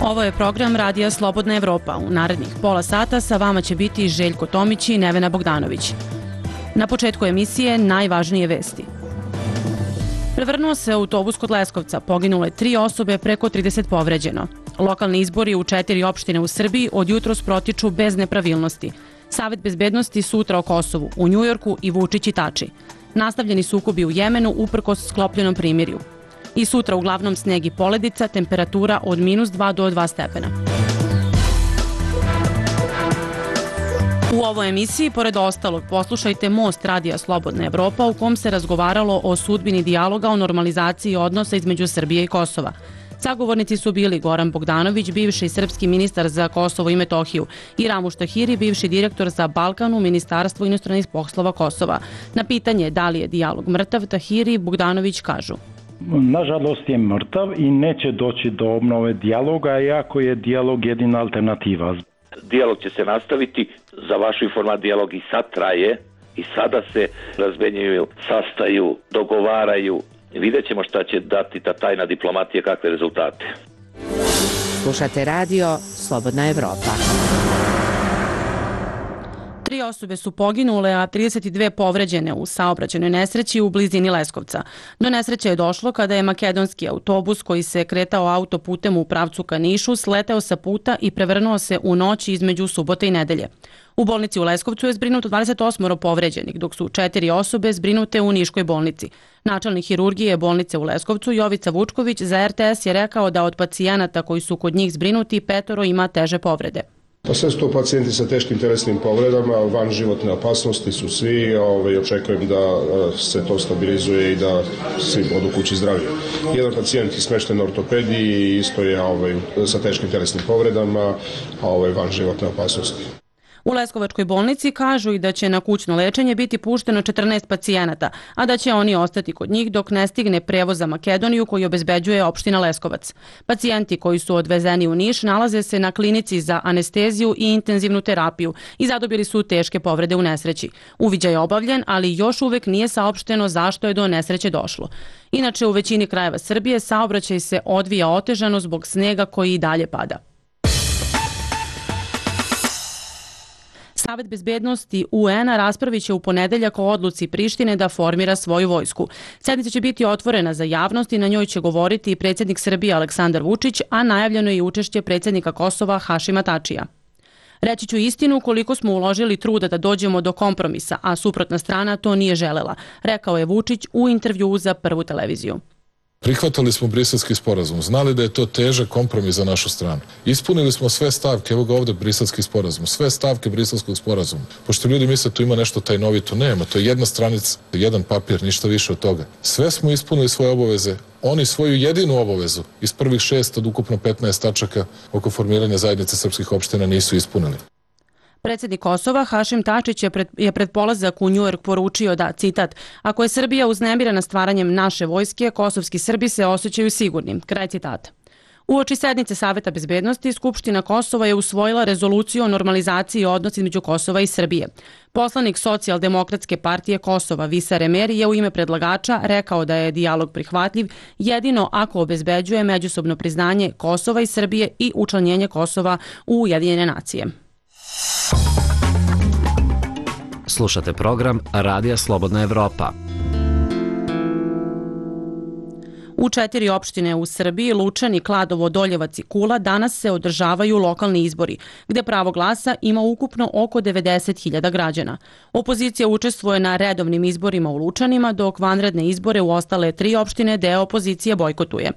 Ovo je program Radija Slobodna Evropa. U narednih pola sata sa vama će biti Željko Tomić i Nevena Bogdanović. Na početku emisije najvažnije vesti. Prevrnuo se autobus kod Leskovca, poginule 3 osobe, preko 30 povređeno. Lokalni izbori u 4 opštine u Srbiji od jutros protiču bez nepravilnosti. Savet bezbednosti sutra o Kosovu, u Njujorku i Vučić i Tači. Nastavljeni sukobi u Jemenu uprkos sklopljenom primirju. I sutra uglavnom sneg i poledica, temperatura od -2 do 2 stepena. U ovoj emisiji, pored ostalog, poslušajte Most Radija Slobodna Evropa u kom se razgovaralo o sudbini dijaloga o normalizaciji odnosa između Srbije i Kosova. Sagovornici su bili Goran Bogdanović, bivši srpski ministar za Kosovo i Metohiju, i Ramuš Tahiri, bivši direktor za Balkan u Ministarstvu inostranih poslova Kosova. Na pitanje da li je dijalog mrtav, Tahiri i Bogdanović kažu: Nažalost je mrtav i neće doći do obnove dijaloga, iako je dijalog jedina alternativa. Dijalog će se nastaviti, za vašu informaciju dijalog i sad traje i sada se razmenjuju, sastaju, dogovaraju. Vidjet ćemo šta će dati ta tajna diplomatija, kakve rezultate. Slušate radio Slobodna Evropa. 3 osobe su poginule, a 32 povređene u saobraćajnoj nesreći u blizini Leskovca. Do nesreće je došlo kada je makedonski autobus koji se kretao autoputem u pravcu ka Nišu sleteo sa puta i prevrnuo se u noći između subote i nedelje. U bolnici u Leskovcu je zbrinuto 28 povređenih, dok su 4 osobe zbrinute u Niškoj bolnici. Načelnik hirurgije bolnice u Leskovcu Jovica Vučković za RTS je rekao da od pacijenata koji su kod njih zbrinuti 5 ima teže povrede. Sve su to pacijenti sa teškim telesnim povredama, van životne opasnosti su svi, očekujem da se to stabilizuje i da svi odu kući zdravi. Jedan pacijent je smešten na ortopediji i isto je sa teškim telesnim povredama, van životne opasnosti. U Leskovačkoj bolnici kažu i da će na kućno lečenje biti pušteno 14 pacijenata, a da će oni ostati kod njih dok ne stigne prevoz za Makedoniju koji obezbeđuje opština Leskovac. Pacijenti koji su odvezeni u Niš nalaze se na klinici za anesteziju i intenzivnu terapiju i zadobili su teške povrede u nesreći. Uviđaj je obavljen, ali još uvek nije saopšteno zašto je do nesreće došlo. Inače, u većini krajeva Srbije saobraćaj se odvija otežano zbog snega koji i dalje pada. Savet bezbednosti UN-a raspravit će u ponedeljak o odluci Prištine da formira svoju vojsku. Sednica će biti otvorena za javnost i na njoj će govoriti i predsjednik Srbije Aleksandar Vučić, a najavljeno je i učešće predsjednika Kosova Hašima Tačija. Reći ću istinu koliko smo uložili truda da dođemo do kompromisa, a suprotna strana to nije želela, rekao je Vučić u intervjuu za Prvu televiziju. Prihvatali smo Briselski sporazum, znali da je to težak kompromis za našu stranu. Ispunili smo sve stavke, evo ga ovdje Briselski sporazum, sve stavke Briselskog sporazuma. Pošto ljudi misle tu ima nešto tajnovito, nema, to je jedna stranica, jedan papir, ništa više od toga. Sve smo ispunili svoje obaveze, oni svoju jedinu obavezu iz prvih 6 od ukupno 15 tačaka oko formiranja zajednice srpskih opština nisu ispunili. Predsjednik Kosova Hašim Tačić je pred polazak u Njujork poručio da, citat, ako je Srbija uznemirena stvaranjem naše vojske, kosovski Srbi se osjećaju sigurnim, kraj citata. Uoči sednice Saveta bezbednosti, Skupština Kosova je usvojila rezoluciju o normalizaciji odnosa između Kosova i Srbije. Poslanik Socijaldemokratske partije Kosova Visa Remeri je u ime predlagača rekao da je dijalog prihvatljiv jedino ako obezbeđuje međusobno priznanje Kosova i Srbije i učlanjenje Kosova u Ujedinjene nacije. Slušate program Radija Slobodna Evropa. U 4 opštine u Srbiji, Lučani, Kladovo, Doljevac i Kula, danas se održavaju lokalni izbori, gde pravo glasa ima ukupno oko 90.000 građana. Opozicija učestvuje na redovnim izborima u Lučanima, dok vanredne izbore u ostale 3 opštine deo opozicije bojkotuje.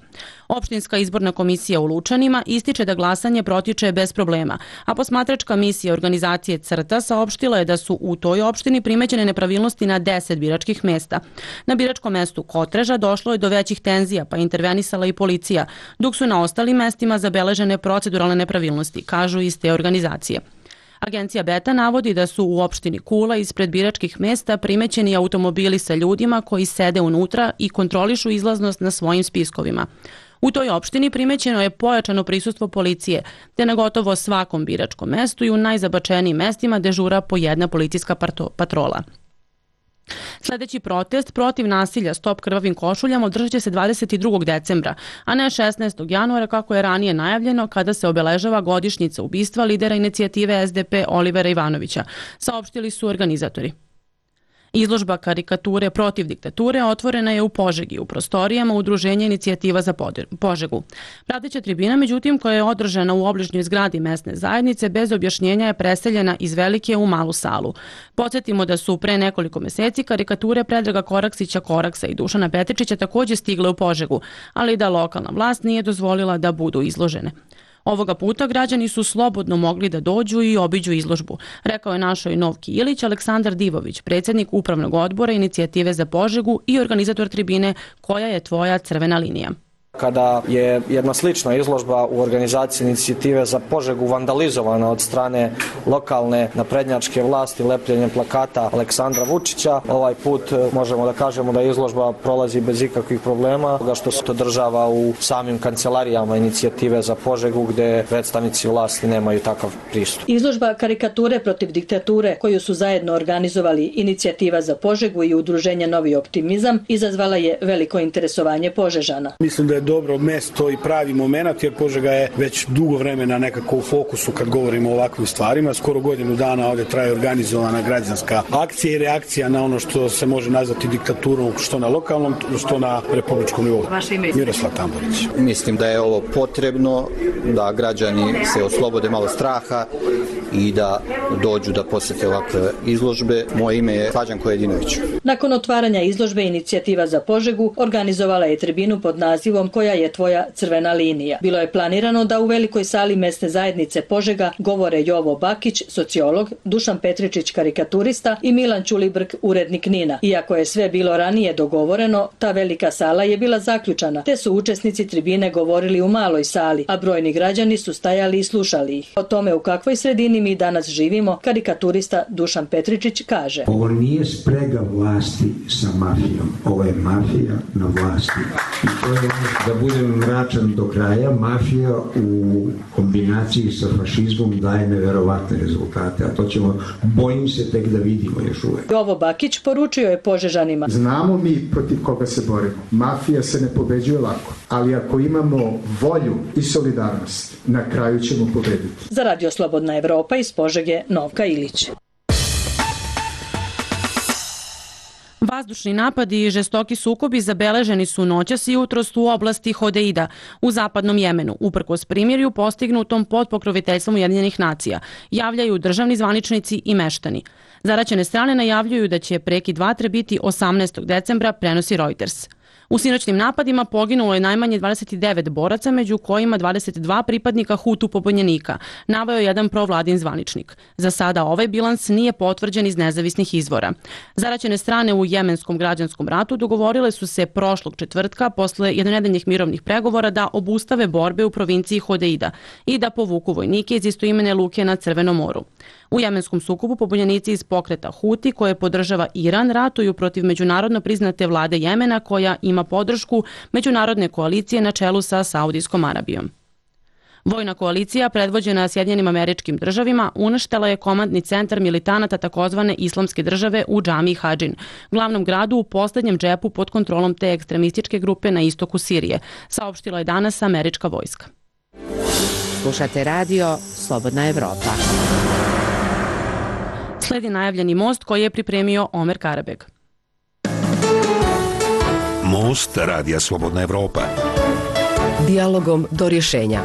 Opštinska izborna komisija u Lučanima ističe da glasanje protiče bez problema, a posmatračka misija organizacije CRTA saopštila je da su u toj opštini primećene nepravilnosti na 10 biračkih mesta. Na biračkom mestu Kotreža došlo je do većih tenzija, pa intervenisala i policija, dok su na ostalim mestima zabeležene proceduralne nepravilnosti, kažu iz te organizacije. Agencija Beta navodi da su u opštini Kula ispred biračkih mesta primećeni automobili sa ljudima koji sede unutra i kontrolišu izlaznost na svojim spiskovima. U toj opštini primećeno je pojačano prisustvo policije, te na gotovo svakom biračkom mestu i u najzabačenijim mestima dežura po jedna policijska patrola. Sledeći protest protiv nasilja Stop krvavim košuljama održat će se 22. decembra, a ne 16. januara kako je ranije najavljeno kada se obeležava godišnjica ubistva lidera inicijative SDP Olivera Ivanovića, saopštili su organizatori. Izložba karikature protiv diktature otvorena je u Požegi, u prostorijama Udruženja inicijativa za Požegu. Prateća tribina, međutim, koja je održana u obližnjoj zgradi mesne zajednice, bez objašnjenja je preseljena iz velike u malu salu. Podsjetimo da su pre nekoliko meseci karikature Predraga Koraksića Koraksa i Dušana Petričića takođe stigle u Požegu, ali da lokalna vlast nije dozvolila da budu izložene. Ovoga puta građani su slobodno mogli da dođu i obiđu izložbu, rekao je našoj Novki Ilić Aleksandar Divović, predsjednik Upravnog odbora inicijative za Požegu i organizator tribine Koja je tvoja crvena linija. Kada je jedna slična izložba u organizaciji inicijative za Požegu vandalizovana od strane lokalne naprednjačke vlasti lepljenjem plakata Aleksandra Vučića, ovaj put možemo da kažemo da izložba prolazi bez ikakvih problema, što se održava u samim kancelarijama inicijative za Požegu gde predstavnici vlasti nemaju takav pristup. Izložba karikature protiv diktature koju su zajedno organizovali inicijativa za Požegu i udruženje Novi optimizam izazvala je veliko interesovanje Požežana. Mislim da je dobro mesto i pravi moment, jer Požega je već dugo vremena nekako u fokusu kad govorimo o ovakvim stvarima. Skoro godinu dana ovde traje organizovana građanska akcija i reakcija na ono što se može nazvati diktaturom, što na lokalnom, što na republičkom nivou. Vaše ime? Miroslav Tamborić. Mislim da je ovo potrebno, da građani se oslobode malo straha i da dođu da posete ovakve izložbe. Moje ime je Slađan Kojedinović. Nakon otvaranja izložbe inicijativa za Požegu organizovala je tribinu pod nazivom Koja je tvoja crvena linija. Bilo je planirano da u velikoj sali mesne zajednice Požega govore Jovo Bakić, sociolog, Dušan Petričić, karikaturista i Milan Ćulibrk, urednik NIN-a. Iako je sve bilo ranije dogovoreno, ta velika sala je bila zaključana, te su učesnici tribine govorili u maloj sali, a brojni građani su stajali i slušali ih. O tome u kakvoj sredini mi danas živimo, karikaturista Dušan Petričić kaže. Ovo nije sprega vlasti sa mafijom, ovo je mafija na vlasti. I to je da budem mračan do kraja, mafija u kombinaciji sa fašizmom daje neverovatne rezultate, a to ćemo, bojim se, tek da vidimo još uvek. Jovo Bakić poručio je Požežanima. Znamo mi protiv koga se borimo. Mafija se ne pobeđuje lako, ali ako imamo volju i solidarnost, na kraju ćemo pobediti. Za Radio Slobodna Evropa iz Požege, Novka Ilić. Vazdušni napadi i žestoki sukobi zabeleženi su noćas i jutros u oblasti Hodeida u zapadnom Jemenu, uprkos primirju postignutom pod pokroviteljstvom Ujedinjenih nacija, javljaju državni zvaničnici i meštani. Zaraćene strane najavljuju da će prekid vatre biti 18. decembra, prenosi Reuters. U sinoćnim napadima poginulo je najmanje 29 boraca, među kojima 22 pripadnika Hutu pobunjenika, naveo jedan provladin zvaničnik. Za sada ovaj bilans nije potvrđen iz nezavisnih izvora. Zaraćene strane u jemenskom građanskom ratu dogovorile su se prošlog četvrtka posle jednonedeljnih mirovnih pregovora da obustave borbe u provinciji Hodeida i da povuku vojnike iz istoimene luke na Crvenom moru. U jemenskom sukobu pobunjenici iz pokreta Huti, koje podržava Iran, ratuju protiv međunarodno priznate vlade Jemena koja ima podršku međunarodne koalicije na čelu sa Saudijskom Arabijom. Vojna koalicija, predvođena Sjedinjenim Američkim Državima, uništila je komandni centar militanata takozvane Islamske države u džamiji Hadžin, glavnom gradu u poslednjem džepu pod kontrolom te ekstremističke grupe na istoku Sirije, saopštila je danas američka vojska. Slušate radio Slobodna Evropa. Sledi najavljeni most koji je pripremio Omer Karabeg. Most Radija Slobodna Evropa. Dijalogom do rješenja.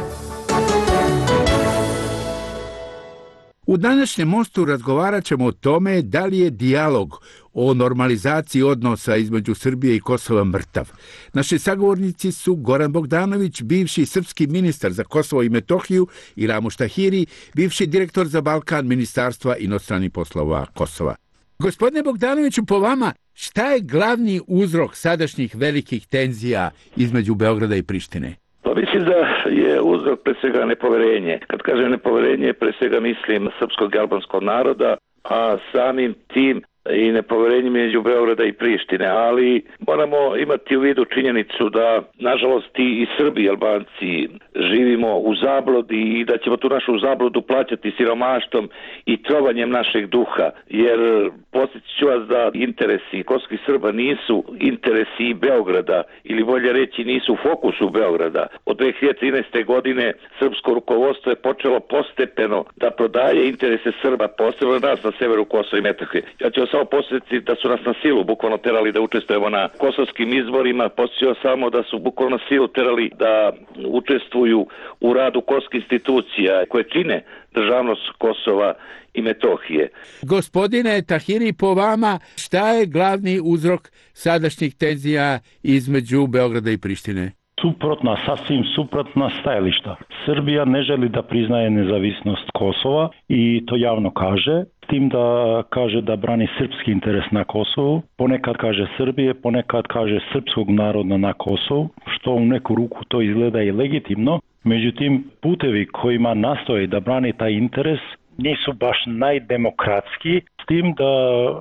U današnjem mostu razgovarat ćemo o tome da li je dijalog o normalizaciji odnosa između Srbije i Kosova mrtav. Naši sagovornici su Goran Bogdanović, bivši srpski ministar za Kosovo i Metohiju, i Ramuš Tahiri, bivši direktor za Balkan Ministarstva inostranih poslova Kosova. Gospodine Bogdanoviću, po vama, šta je glavni uzrok sadašnjih velikih tenzija između Beograda i Prištine? Pa mislim da je uzrok pre svega nepoverenje. Kad kažem nepoverenje, pre svega mislim srpskog i albanskog naroda, a samim tim i nepoverenje među Beograda i Prištine, ali moramo imati u vidu činjenicu da, nažalost, i Srbi i Albanci živimo u zabludi i da ćemo tu našu zabludu plaćati siromaštvom i trovanjem našeg duha, jer podsjetit ću vas da interesi kosovskih Srba nisu interesi Beograda, ili bolje reći nisu u fokusu Beograda. Od 2013. godine srpsko rukovodstvo je počelo postepeno da prodaje interese Srba, posebno nas na severu Kosova i Metohije. Ja ću vas samo posjetiti da su nas na silu bukvalno terali da učestvujemo na kosovskim izborima, posjećao samo da su bukvalno na silu terali da učestvuju u radu kosovskih institucija koje čine državnost Kosova i Metohije. Gospodine Tahiri, po vama, šta je glavni uzrok sadašnjih tenzija između Beograda i Prištine? Suprotna, sasvim suprotna stajališta. Srbija ne želi da priznaje nezavisnost Kosova i to javno kaže, s tim da kaže da brani srpski interes na Kosovu, ponekad kaže Srbije, ponekad kaže srpskog naroda na Kosovu, što u neku ruku to izgleda i legitimno. Međutim, putevi kojima nastoje da brani taj interes nisu baš najdemokratski, s tim da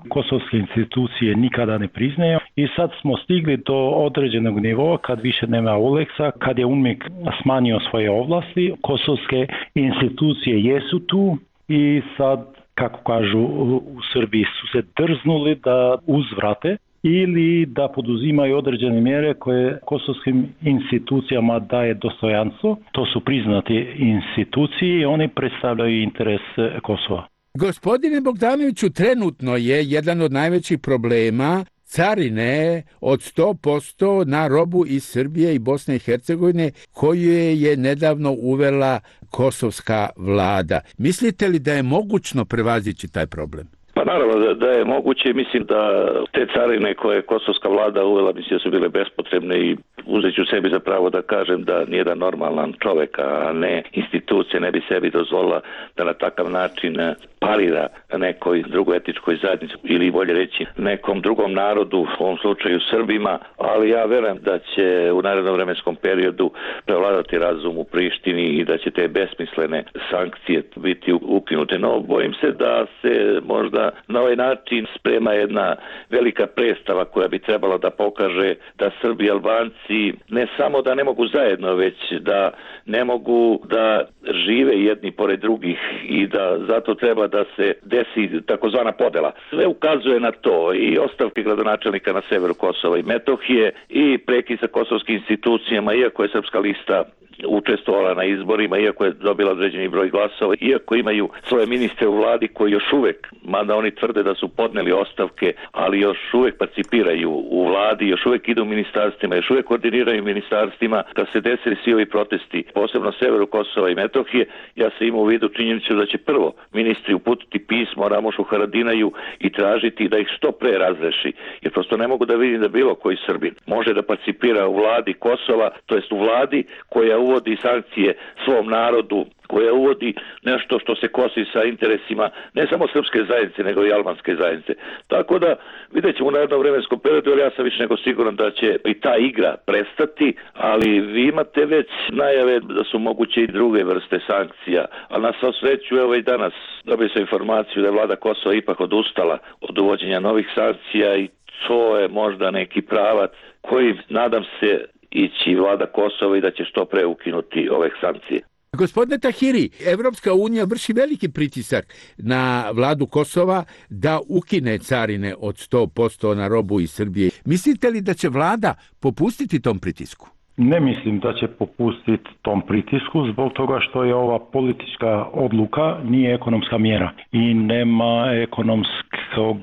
kosovske institucije nikada ne priznaju i sad smo stigli do određenog nivoa kad više nema Uleksa, kad je UNMIK smanjio svoje ovlasti, kosovske institucije jesu tu i sad, kako kažu u Srbiji, su se drznuli da uzvrate ili da poduzimaju određene mjere koje kosovskim institucijama daje dostojanstvo. To su priznati institucije i oni predstavljaju interes Kosova. Gospodine Bogdanoviću, trenutno je jedan od najvećih problema carine od 100% na robu iz Srbije i Bosne i Hercegovine koju je nedavno uvela kosovska vlada. Mislite li da je mogućno prevazići taj problem? Pa naravno da je moguće, mislim da te carine koje je kosovska vlada uvela, mislim da su bile bespotrebne i uzet ću sebi za pravo da kažem da nijedan normalan čovek, a ne institucija, ne bi sebi dozvolila da na takav način parira nekoj drugoj etičkoj zajednici ili bolje reći nekom drugom narodu, u ovom slučaju Srbima, ali ja verujem da će u narednom vremenskom periodu prevladati razum u Prištini i da će te besmislene sankcije biti ukinute. No, bojim se da se možda na ovaj način sprema jedna velika predstava koja bi trebala da pokaže da Srbi i Albanci ne samo da ne mogu zajedno, već da ne mogu da žive jedni pored drugih i da zato treba da se desi takozvana podela. Sve ukazuje na to, i ostavke gradonačelnika na severu Kosova i Metohije i prekid sa kosovskim institucijama, iako je Srpska lista učestvovala na izborima, iako je dobila određeni broj glasova, iako imaju svoje ministre u vladi koji još uvek, mada oni tvrde da su podneli ostavke, ali još uvek participiraju u vladi, još uvek idu u ministarstvima, još uvek koordiniraju ministarstvima, kad se desili svi ovi protesti, posebno severu Kosova i Metohije, ja sam imao u vidu činjenicu da će prvo ministri uputiti pismo Ramošu Haradinaju i tražiti da ih što pre razreši, jer prosto ne mogu da vidim da bilo koji Srbin može da participira u vladi Kosova, to jest u vladi koja uvodi sankcije svom narodu, koja uvodi nešto što se kosi sa interesima ne samo srpske zajednice, nego i albanske zajednice. Tako da vidjet ćemo u narednom vremenskom periodu, jer ja sam više nego siguran da će i ta igra prestati, ali vi imate već najave da su moguće i druge vrste sankcija, a na svu sreću, evo i danas dobio sam informaciju da je vlada Kosova ipak odustala od uvođenja novih sankcija i to je možda neki pravac koji, nadam se, ići vlada Kosova i da će što pre ukinuti ove sankcije. Gospodine Tahiri, Evropska unija vrši veliki pritisak na vladu Kosova da ukine carine od 100% na robu iz Srbije. Mislite li da će vlada popustiti tom pritisku? Ne mislim da će popustiti tom pritisku zbog toga što je ova politička odluka nije ekonomska mjera i nema ekonomskog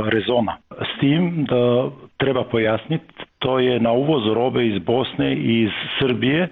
rezona. S tim da treba pojasniti, to je na uvoz robe iz Bosne i iz Srbije,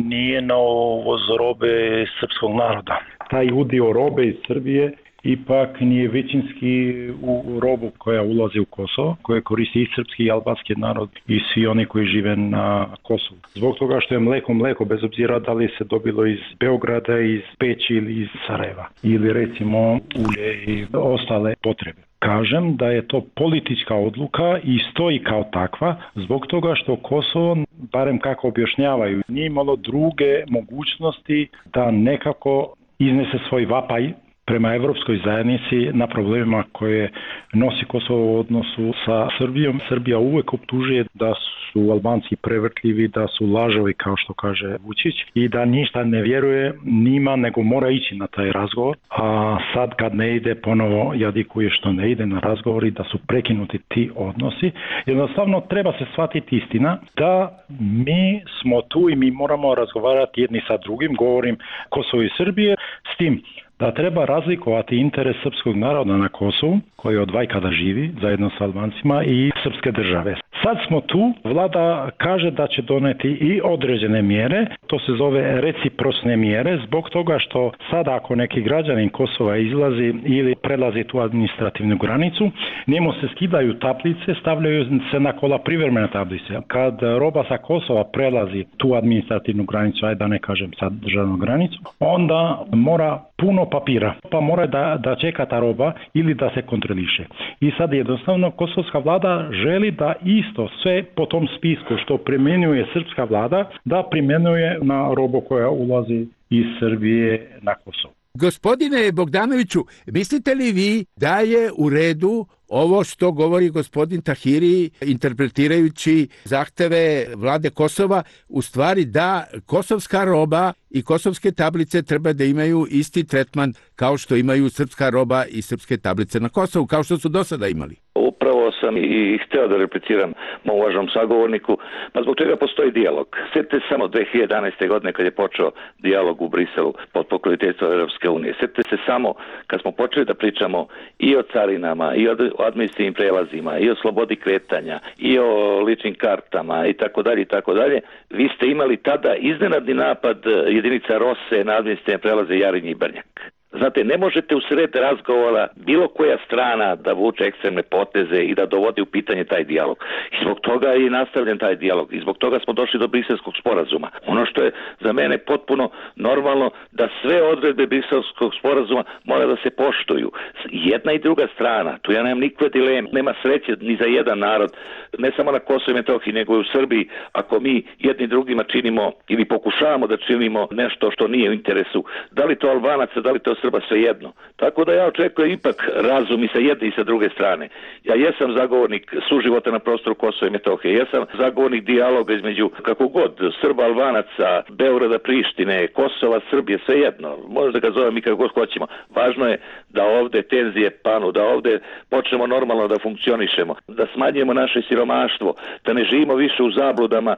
nije na uvoz robe srpskog naroda. Taj udio robe iz Srbije ipak nije većinski u robu koja ulazi u Kosovo, koje koristi i srpski i albanski narod i svi oni koji žive na Kosovu. Zbog toga što je mleko, bez obzira da li se dobilo iz Beograda, iz Peći ili iz Sarajeva, ili recimo ulje i ostale potrebe. Kažem da je to politička odluka i stoji kao takva zbog toga što Kosovo, barem kako objašnjavaju, nije imalo druge mogućnosti da nekako iznese svoj vapaj prema evropskoj zajednici na problemima koje nosi Kosovo u odnosu sa Srbijom. Srbija uvek optužuje da su Albanci prevrtljivi, da su lažovi, kao što kaže Vučić, i da ništa ne vjeruje njima, nego mora ići na taj razgovor. A sad kad ne ide, ponovo jadikuje što ne ide na razgovor i da su prekinuti ti odnosi. Jednostavno treba se shvatiti istina da mi smo tu i mi moramo razgovarati jedni sa drugim, govorim Kosovo i Srbije, s tim da treba razlikovati interes srpskog naroda na Kosovu, koji od vajkada živi zajedno sa Albancima, i srpske države. Sad smo tu, vlada kaže da će doneti i određene mjere, to se zove reciprocne mjere, zbog toga što sada ako neki građanin Kosova izlazi ili prelazi tu administrativnu granicu, njemu se skidaju tablice, stavljaju se na kola privremene tablice. Kad roba sa Kosova prelazi tu administrativnu granicu, ajde da ne kažem sad državnu granicu, onda mora puno papira, pa mora da čeka ta roba ili da se kontroliše. I sad jednostavno kosovska vlada želi da isto sve po tom spisku što primjenjuje srpska vlada, da primjenjuje na robu koja ulazi iz Srbije na Kosovo. Gospodine Bogdanoviću, mislite li vi da je u redu ovo što govori gospodin Tahiri, interpretirajući zahteve vlade Kosova, u stvari da kosovska roba i kosovske tablice treba da imaju isti tretman kao što imaju srpska roba i srpske tablice na Kosovu, kao što su do sada imali? Upravo sam i hteo da repliciram mom uvaženom sagovorniku, pa zbog čega postoji dijalog. Sjetite samo 2011. godine kad je počeo dijalog u Briselu pod pokroviteljstvom Europske unije. Sjetite se samo kad smo počeli da pričamo i o carinama, i o administrativnim prelazima, i o slobodi kretanja, i o ličnim kartama i tako dalje i tako dalje. Vi ste imali tada iznenadni napad jedinica Rose na administrativne prelaze Jarinje i Brnjak. Znate, ne možete u sred razgovora bilo koja strana da vuče ekstremne poteze i da dovodi u pitanje taj dijalog. I zbog toga je nastavljen taj dijalog. I zbog toga smo došli do Briselskog sporazuma. Ono što je za mene potpuno normalno, da sve odredbe Briselskog sporazuma mora da se poštuju. Jedna i druga strana, tu ja nemam nikakve dileme, nema sreće ni za jedan narod, ne samo na Kosovu i Metohiji, nego i u Srbiji, ako mi jedni drugima činimo ili pokušavamo da činimo nešto što nije u interesu. Da li to Albanaca, da li to Srba, svejedno. Tako da ja očekujem ipak razum i sa jedne i sa druge strane. Ja jesam zagovornik suživota na prostoru Kosova i Metohije, jesam zagovornik dijaloga između kako god Srba, Albanaca, Beograda, Prištine, Kosova, Srbije, svejedno. Možda ga zovem i kako god hoćemo. Važno je da ovde tenzije panu, da ovde počnemo normalno da funkcionišemo, da smanjujemo naše siromaštvo, da ne živimo više u zabludama,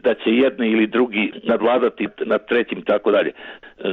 da će jedni ili drugi nadvladati nad trećim, tako dalje.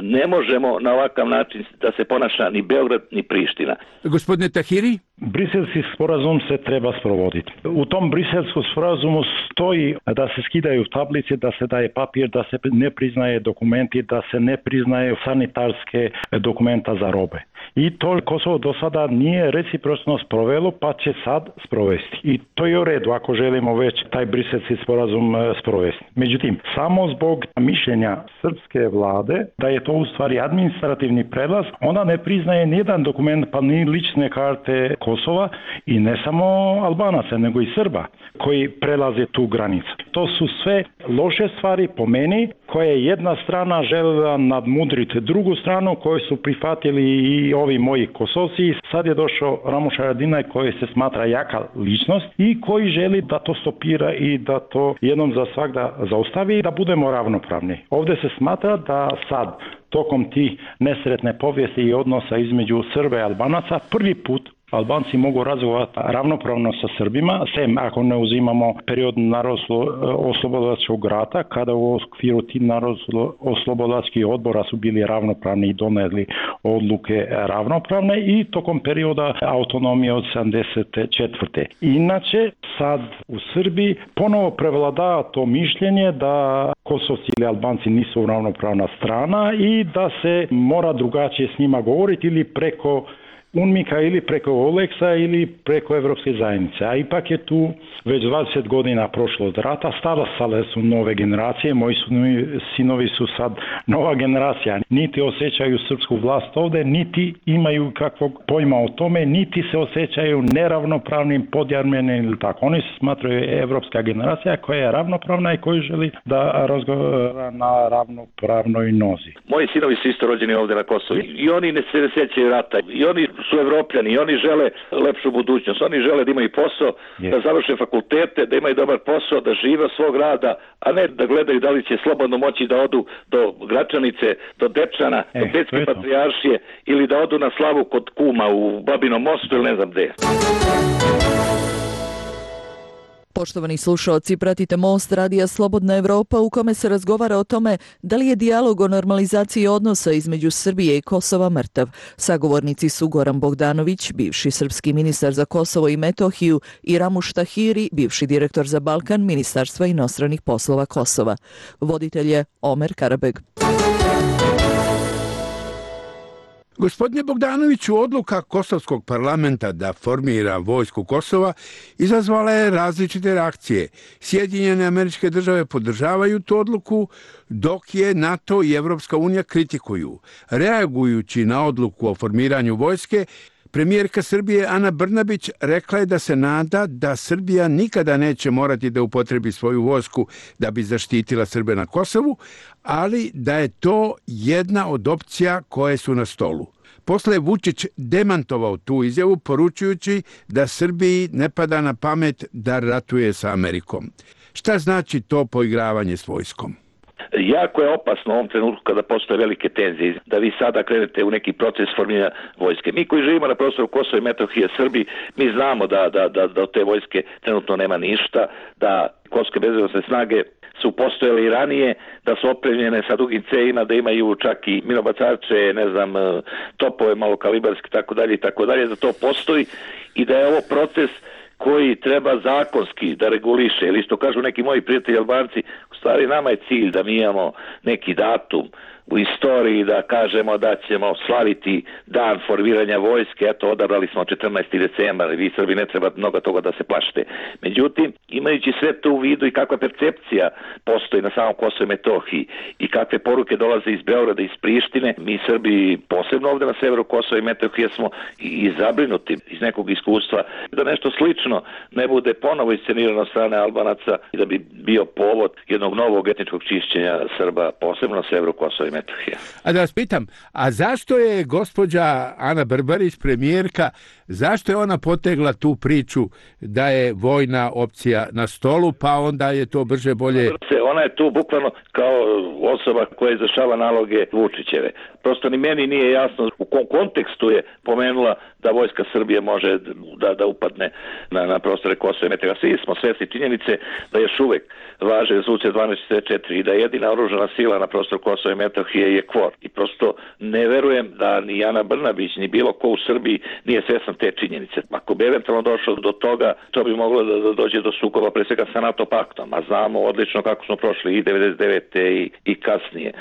Ne možemo na ovakav način da se ponaša ni Beograd ni Priština. Gospodine Tahiri? Briselski sporazum se treba sprovoditi. U tom Briselskom sporazumu stoji da se skidaju tablice, da se daje papir, da se ne priznaje dokumenti, da se ne priznaje sanitarske dokumenta za robe. I to Kosovo do sada nije recipročno sprovelo, pa će sad sprovesti. I to je u redu ako želimo već taj Briselski sporazum sprovesti. Međutim, samo zbog mišljenja srpske vlade da je to u stvari administrativni prelaz, ona ne priznaje nijedan dokument, pa ni lične karte Kosova i ne samo Albanaca, nego i Srba koji prelaze tu granicu. To su sve loše stvari po meni, koje jedna strana željela nadmudriti drugu stranu, koju su prihvatili i ovi moji Kosovci. Sad je došao Ramuš Haradinaj koji se smatra jaka ličnost i koji želi da to stopira i da to jednom za svagda zaustavi i da budemo ravnopravni. Ovdje se smatra da sad tokom tih nesretne povijesti i odnosa između Srba i Albanaca prvi put Albanci mogu razgovarati ravnopravno sa Srbima, sem ako ne uzimamo period Narodno-oslobodilačkog rata, kada u okviru tih Narodno-oslobodilačkih odbora su bili ravnopravni i doneli odluke ravnopravne i tokom perioda autonomije od 74. Inače, sad u Srbiji ponovo prevladava to mišljenje da Kosovci ili Albanci nisu ravnopravna strana i da se mora drugačije s njima govoriti ili preko UNMIK-a ili preko OLEX-a ili preko Evropske zajednice. A ipak je tu već 20 godina prošlo od rata, stasale su nove generacije, moji sinovi su sad nova generacija. Niti osjećaju srpsku vlast ovde, niti imaju kakvog pojma o tome, niti se osjećaju neravnopravnim, podjarmenim ili tako. Oni se smatraju evropska generacija koja je ravnopravna i koja želi da razgovara na ravnopravnoj nozi. Moji sinovi su isto rođeni ovde na Kosovu i oni ne se sjećaju rata. I oni su evropljani i oni žele lepšu budućnost. Oni žele da imaju posao, da završe fakultete, da imaju dobar posao, da žive svog rada, a ne da gledaju da li će slobodno moći da odu do Gračanice, do Dečana, do Petske patrijaršije ili da odu na slavu kod kuma u Babinom mostu ili ne znam gde. Poštovani slušaoci, pratite Most Radija Slobodna Evropa u kome se razgovara o tome da li je dijalog o normalizaciji odnosa između Srbije i Kosova mrtav. Sagovornici su Goran Bogdanović, bivši srpski ministar za Kosovo i Metohiju, i Ramuš Tahiri, bivši direktor za Balkan Ministarstva inostranih poslova Kosova. Voditelj je Omer Karabeg. Gospodine Bogdanoviću, odluka Kosovskog parlamenta da formira vojsku Kosova izazvala je različite reakcije. Sjedinjene Američke Države podržavaju tu odluku, dok je NATO i Evropska unija kritikuju. Reagujući na odluku o formiranju vojske, premijerka Srbije Ana Brnabić rekla je da se nada da Srbija nikada neće morati da upotrebi svoju vojsku da bi zaštitila Srbe na Kosovu, ali da je to jedna od opcija koje su na stolu. Posle je Vučić demantovao tu izjavu, poručujući da Srbiji ne pada na pamet da ratuje sa Amerikom. Šta znači to poigravanje s vojskom? Jako je opasno u ovom trenutku kada postoje velike tenzije da vi sada krenete u neki proces formiranja vojske. Mi koji živimo na prostoru Kosova i Metohije, Srbi, mi znamo da od te vojske trenutno nema ništa, da kosovske bezbednosne snage su postojale i ranije, da su opremljene sa dugim cevima, da imaju čak i minobacače, ne znam, topove malokalibarske, tako dalje, da to postoji i da je ovo proces koji treba zakonski da reguliše, ili što kažu neki moji prijatelji Albanci, u stvari nama je cilj da mi imamo neki datum u istoriji da kažemo da ćemo slaviti dan formiranja vojske, eto odabrali smo 14. decembar, vi Srbi ne treba mnogo toga da se plašite. Međutim, imajući sve to u vidu i kakva percepcija postoji na samom Kosovu i Metohiji i kakve poruke dolaze iz Beograda i iz Prištine, mi Srbi posebno ovde na severu Kosova i Metohije smo i zabrinuti iz nekog iskustva da nešto slično ne bude ponovo iscenirano od strane Albanaca i da bi bio povod jednog novog etničkog čišćenja Srba, posebno na severu Kosova i Metohije. A da vas pitam, a zašto je gospođa Ana Brbarić, premijerka, zašto je ona potegla tu priču da je vojna opcija na stolu, pa onda je to brže bolje? Ona je tu bukvalno kao osoba koja izvršava naloge Vučićeve. Prosto ni meni nije jasno u kom kontekstu je pomenula da vojska Srbije može da upadne na prostore Kosova i Metohije. Svi smo svesni činjenice da još uvek važe rezolucija 1244 i da je jedina oružana sila na prostoru Kosova i Metohije je KFOR. I prosto ne verujem da ni Ana Brnabić ni bilo ko u Srbiji nije svestan te činjenice. Ako bi eventualno došlo do toga, to bi moglo da dođe do sukoba pre svega sa NATO paktom, a znamo odlično kako smo prošli i 99. i kasnije.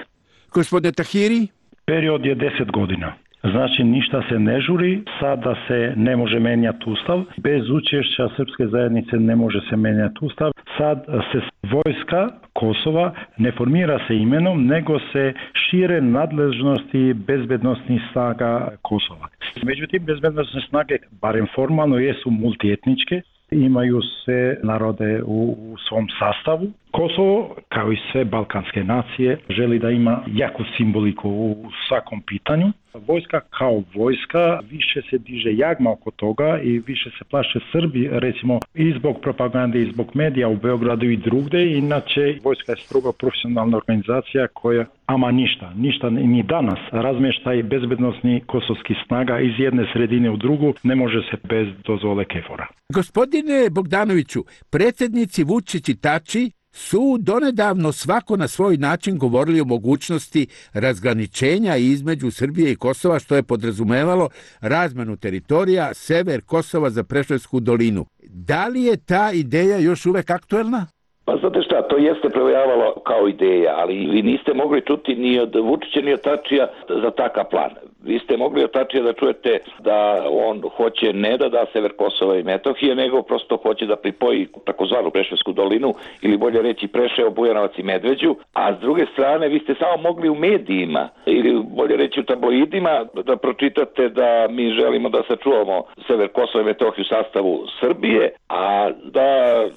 Gospodine Tahiri? Period je 10 godina. Znači ništa se ne žuri, sada se ne može menjati ustav, bez učešća srpske zajednice ne može se menjati ustav, sad se vojska Kosova ne formira se imenom, nego se šire nadležnosti bezbednostnih snaga Kosova. Međutim, bezbednostne snage, barem formalno, jesu multietničke, imaju sve narode u svom sastavu. Kosovo, kao i sve balkanske nacije, želi da ima jaku simboliku u svakom pitanju. Vojska kao vojska više se diže jagma oko toga i više se plaše Srbi, recimo i zbog propagande i zbog medija u Beogradu i drugde. Inače, vojska je strogo profesionalna organizacija koja ama ništa ni danas razmještaj bezbednosni kosovskih snaga iz jedne sredine u drugu ne može se bez dozvole KFOR-a. Gospodine Bogdanoviću, predsjednici Vučić i Tači su donedavno svako na svoj način govorili o mogućnosti razgraničenja između Srbije i Kosova, što je podrazumevalo razmenu teritorija sever Kosova za Preševsku dolinu. Da li je ta ideja još uvek aktuelna? Pa znate šta, to jeste provejavalo kao ideja, ali vi niste mogli čuti ni od Vučića ni od Tačija za takav plan. Vi ste mogli od Tačija da čujete da on hoće ne da da sever Kosova i Metohije, nego prosto hoće da pripoji takozvanu Preševsku dolinu, ili bolje reći Preševo, Bujanovac i Medveđu, a s druge strane vi ste samo mogli u medijima, ili bolje reći u tabloidima, da pročitate da mi želimo da sačuvamo sever Kosova i Metohiju u sastavu Srbije, a da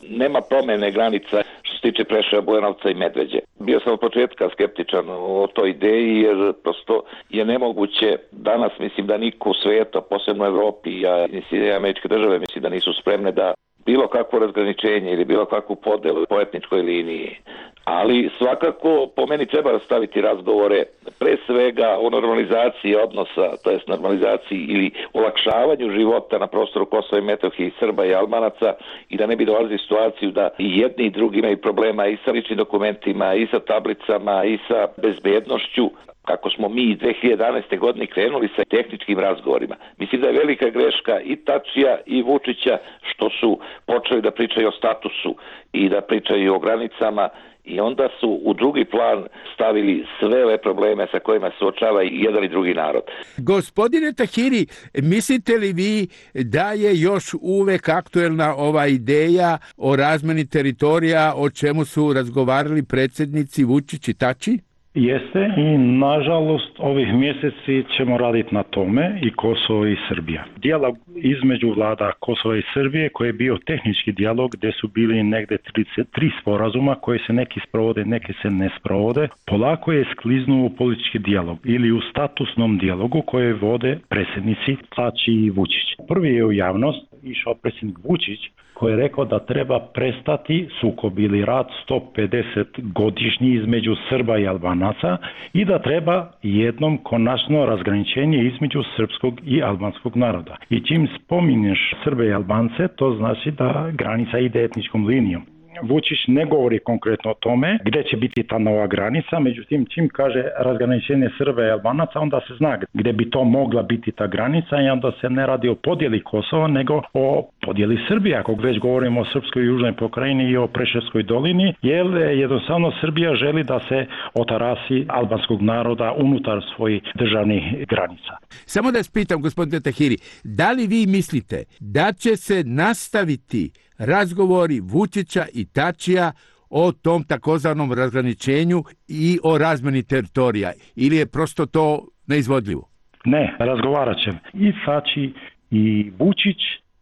nema promene granica što se tiče Preševa, Bujanovca i Medveđe. Bio sam od početka skeptičan o toj ideji, jer prosto je nemoguće danas, mislim da niko u svijetu, posebno u Evropi, a i Američke države, mislim da nisu spremne da bilo kakvo razgraničenje ili bilo kakvu podelu po etničkoj liniji. Ali svakako po meni treba rastaviti razgovore pre svega o normalizaciji odnosa, to jest normalizaciji ili olakšavanju života na prostoru Kosova i Metohije i Srba i Albanaca, i da ne bi dolazili situaciju da i jedni i drugi imaju problema i sa ličnim dokumentima, i sa tablicama, i sa bezbednošću. Kako smo mi 2011. godine krenuli sa tehničkim razgovorima. Mislim da je velika greška i Tačija i Vučića što su počeli da pričaju o statusu i da pričaju o granicama, i onda su u drugi plan stavili sve ove probleme sa kojima se suočava i jedan i drugi narod. Gospodine Tahiri, mislite li vi da je još uvek aktuelna ova ideja o razmeni teritorija, o čemu su razgovarali predsjednici Vučić i Tači? Jeste, i nažalost ovih mjeseci ćemo raditi na tome, i Kosovo i Srbija. Dijalog između vlada Kosova i Srbije, koji je bio tehnički dijalog, gdje su bili negdje 33 sporazuma koji se neki sprovode, neki se ne sprovode, polako je skliznuo u politički dijalog ili u statusnom dijalogu koje vode predsjednici Tači i Vučić. Prvi je u javnost išao predsjednik Vučić, koji je rekao da treba prestati sukob ili rat 150 godišnji između Srba i Albanaca i da treba jednom konačno razgraničenje između srpskog i albanskog naroda. I čim spominješ Srbe i Albance, to znači da granica ide etničkom linijom. Vučić ne govori konkretno o tome gdje će biti ta nova granica, međutim čim kaže razgraničenje Srba i Albanaca, onda se zna gdje bi to mogla biti ta granica, i onda se ne radi o podjeli Kosova, nego o podjeli Srbije, ako već govorimo o srpskoj južnoj pokrajini i o Preševskoj dolini, jer jednostavno Srbija želi da se otarasi albanskog naroda unutar svojih državnih granica. Samo da spitam, gospodine Tahiri, da li vi mislite da će se nastaviti razgovori Vučića i Tačija o tom takozvanom razgraničenju i o razmeni teritorija, ili je prosto to neizvodljivo? Ne, razgovarat će i Tači i Vučić,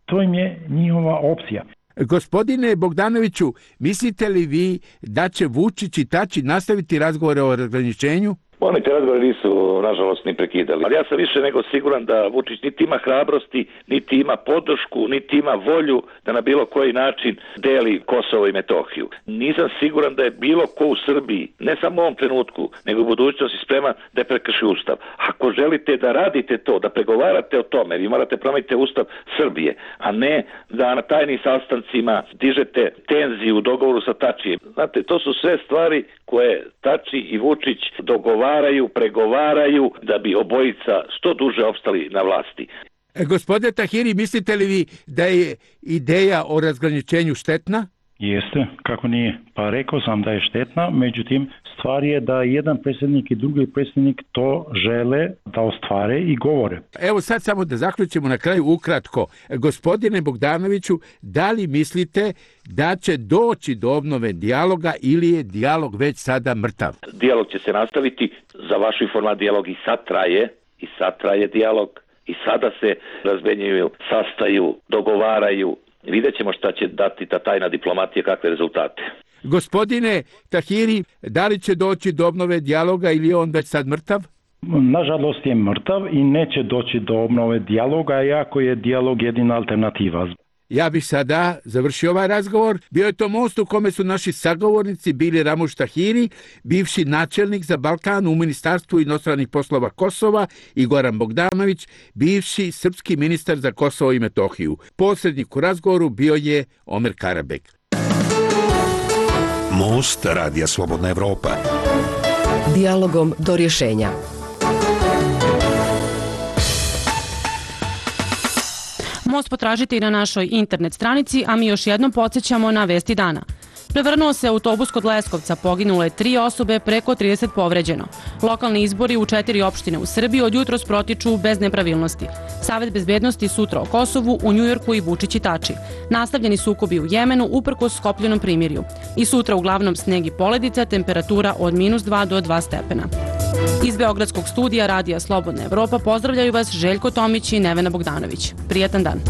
to im je njihova opcija. Gospodine Bogdanoviću, mislite li vi da će Vučić i Tači nastaviti razgovore o razgraničenju? Oni te razgovore nisu, nažalost, ni prekidali. Ali ja sam više nego siguran da Vučić niti ima hrabrosti, niti ima podršku, niti ima volju da na bilo koji način deli Kosovo i Metohiju. Nisam siguran da je bilo ko u Srbiji, ne samo u ovom trenutku, nego u budućnosti spreman da prekrši Ustav. Ako želite da radite to, da pregovarate o tome, vi morate promeniti Ustav Srbije, a ne da na tajnim sastancima dižete tenziju u dogovoru sa Tačijem. Znate, to su sve stvari koje Tači i Vučić dogovaraju, pregovaraju da bi obojica što duže opstali na vlasti. Gospodine Tahiri, mislite li vi da je ideja o razgraničenju štetna? Jeste, kako nije. Pa rekao sam da je štetna, međutim stvar je da jedan predsjednik i drugi predsjednik to žele da ostvare i govore. Evo sad samo da zaključimo na kraju ukratko. Gospodine Bogdanoviću, da li mislite da će doći do obnove dijaloga ili je dijalog već sada mrtav? Dijalog će se nastaviti, za vašu informaciju dijalog i sad traje dijalog, i sada se razmenjuju, sastaju, dogovaraju. Vidjet ćemo šta će dati ta tajna diplomatija, kakve rezultate. Gospodine Tahiri, da li će doći do obnove dijaloga ili je on već sad mrtav? Nažalost je mrtav i neće doći do obnove dijaloga, iako je dijalog jedina alternativa. Ja bih sada završio ovaj razgovor. Bio je to most u kome su naši sagovornici bili Ramuš Tahiri, bivši načelnik za Balkan u Ministarstvu inostranih poslova Kosova, i Goran Bogdanović, bivši srpski ministar za Kosovo i Metohiju. Posrednik u razgovoru bio je Omer Karabek. Most Radija Slobodna Evropa. Dijalogom do rješenja. Most potražite i na našoj internet stranici, a mi još jednom podsjećamo na vesti dana. Prevrnuo se autobus kod Leskovca, poginulo je 3 osobe, preko 30 povređeno. Lokalni izbori u 4 opštine u Srbiji od jutros protiču bez nepravilnosti. Savet bezbednosti sutra o Kosovu, u Njujorku i Vučić i Tači. Nastavljeni sukobi u Jemenu uprkos Skopljenom primirju. I sutra uglavnom sneg i poledica, temperatura od -2 do 2 stepena. Iz Beogradskog studija Radija Slobodna Evropa pozdravljaju vas Željko Tomić i Nevena Bogdanović. Prijatan dan.